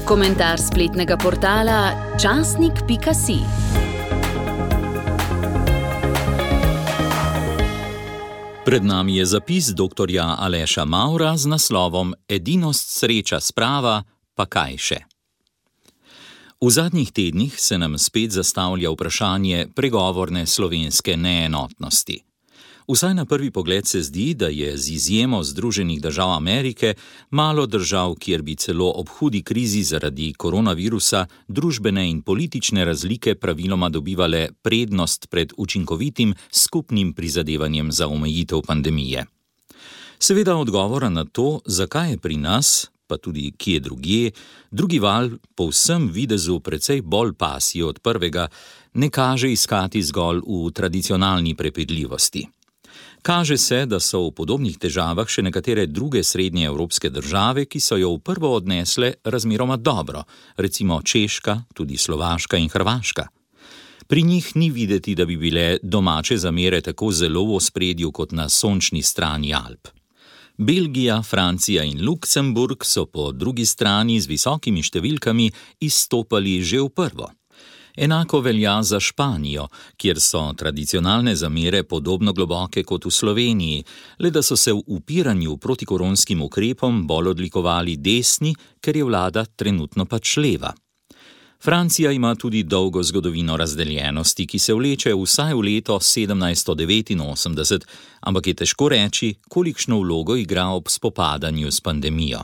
Komentar spletnega portala časnik.si. Pred nami je zapis dr. Aleša Mavra z naslovom Edinost sreča sprava, pa kaj še? V zadnjih tednih se nam spet zastavlja vprašanje pregovorne slovenske neenotnosti. Vsaj na prvi pogled se zdi, da je z izjemo Združenih držav Amerike malo držav, kjer bi celo ob hudi krizi zaradi koronavirusa družbene in politične razlike praviloma dobivale prednost pred učinkovitim skupnim prizadevanjem za omejitev pandemije. Seveda odgovora na to, zakaj je pri nas, pa tudi kje drugje, drugi val po vsem videzu precej bolj pasji od prvega, ne kaže iskati zgolj v tradicionalni prepedljivosti. Kaže se, da so v podobnih težavah še nekatere druge srednje evropske države, ki so jo v prvo odnesle razmeroma dobro, recimo Češka, tudi Slovaška in Hrvaška. Pri njih ni videti, da bi bile domače zamere tako zelo v ospredju kot na sončni strani Alp. Belgija, Francija in Luksemburg so po drugi strani z visokimi številkami izstopali že v prvo. Enako velja za Španijo, kjer so tradicionalne zamere podobno globoke kot v Sloveniji, le da so se v upiranju protikoronskim ukrepom bolj odlikovali desni, ker je vlada trenutno pač leva. Francija ima tudi dolgo zgodovino razdeljenosti, ki se vleče vsaj v leto 1789, ampak je težko reči, kolikšno vlogo igra ob spopadanju s pandemijo.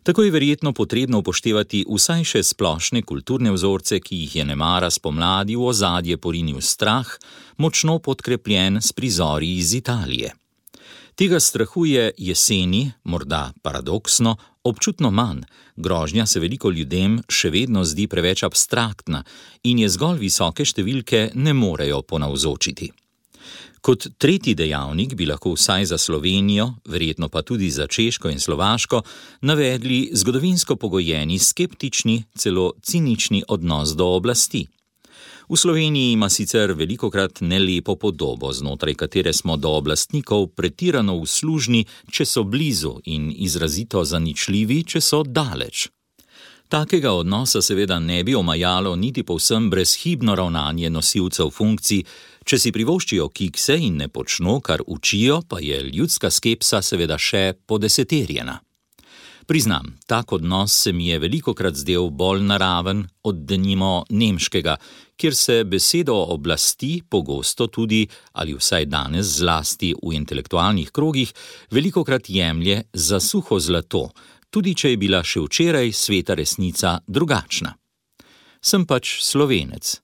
Tako je verjetno potrebno upoštevati vsaj še splošne kulturne vzorce, ki jih je nemara spomladi v ozadje porinil strah, močno podkrepljen s prizori iz Italije. Tega strahu je jeseni, morda paradoksno, občutno manj, grožnja se veliko ljudem še vedno zdi preveč abstraktna in je zgolj visoke številke ne morejo ponavzočiti. Kot tretji dejavnik bi lahko vsaj za Slovenijo, verjetno pa tudi za Češko in Slovaško, navedli zgodovinsko pogojeni skeptični, celo cinični odnos do oblasti. V Sloveniji ima sicer velikokrat nelepo podobo, znotraj katere smo do oblastnikov pretirano uslužni, če so blizu, in izrazito zaničljivi, če so daleč. Takega odnosa seveda ne bi omajalo niti povsem brezhibno ravnanje nosilcev funkcij. Če si privoščijo kikse in ne počno, kar učijo, pa je ljudska skepsa seveda še podeseterjena. Priznam, tak odnos se mi je velikokrat zdel bolj naraven od denimo nemškega, kjer se besedo oblasti pogosto tudi, ali vsaj danes zlasti v intelektualnih krogih, velikokrat jemlje za suho zlato, tudi če je bila še včeraj sveta resnica drugačna. Sem pač Slovenec.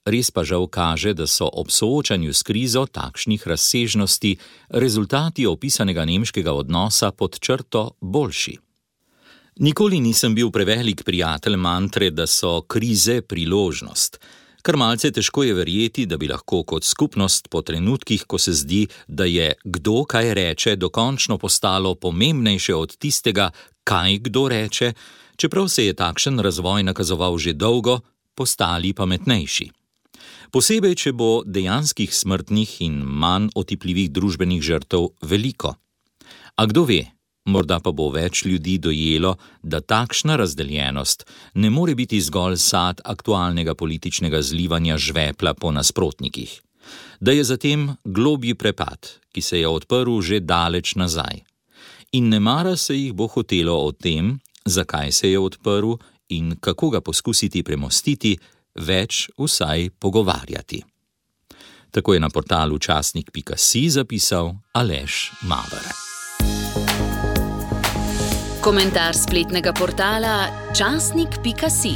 Res pa žal kaže, da so ob soočanju s krizo takšnih razsežnosti rezultati opisanega nemškega odnosa pod črto boljši. Nikoli nisem bil prevelik prijatelj mantre, da so krize priložnost. Kar malce težko je verjeti, da bi lahko kot skupnost po trenutkih, ko se zdi, da je kdo kaj reče, dokončno postalo pomembnejše od tistega, kaj kdo reče, čeprav se je takšen razvoj nakazoval že dolgo, postali pametnejši. Posebej, če bo dejanskih smrtnih in manj otipljivih družbenih žrtev veliko. A kdo ve, morda pa bo več ljudi dojelo, da takšna razdeljenost ne more biti zgolj sad aktualnega političnega zlivanja žvepla po nasprotnikih. Da je zatem globji prepad, ki se je odprl že daleč nazaj. In nemara se jih bo hotelo o tem, zakaj se je odprl in kako ga poskusiti premostiti, več vsaj pogovarjati. Tako je na portalu časnik.si zapisal Aleš Maver. Komentar spletnega portala časnik.si.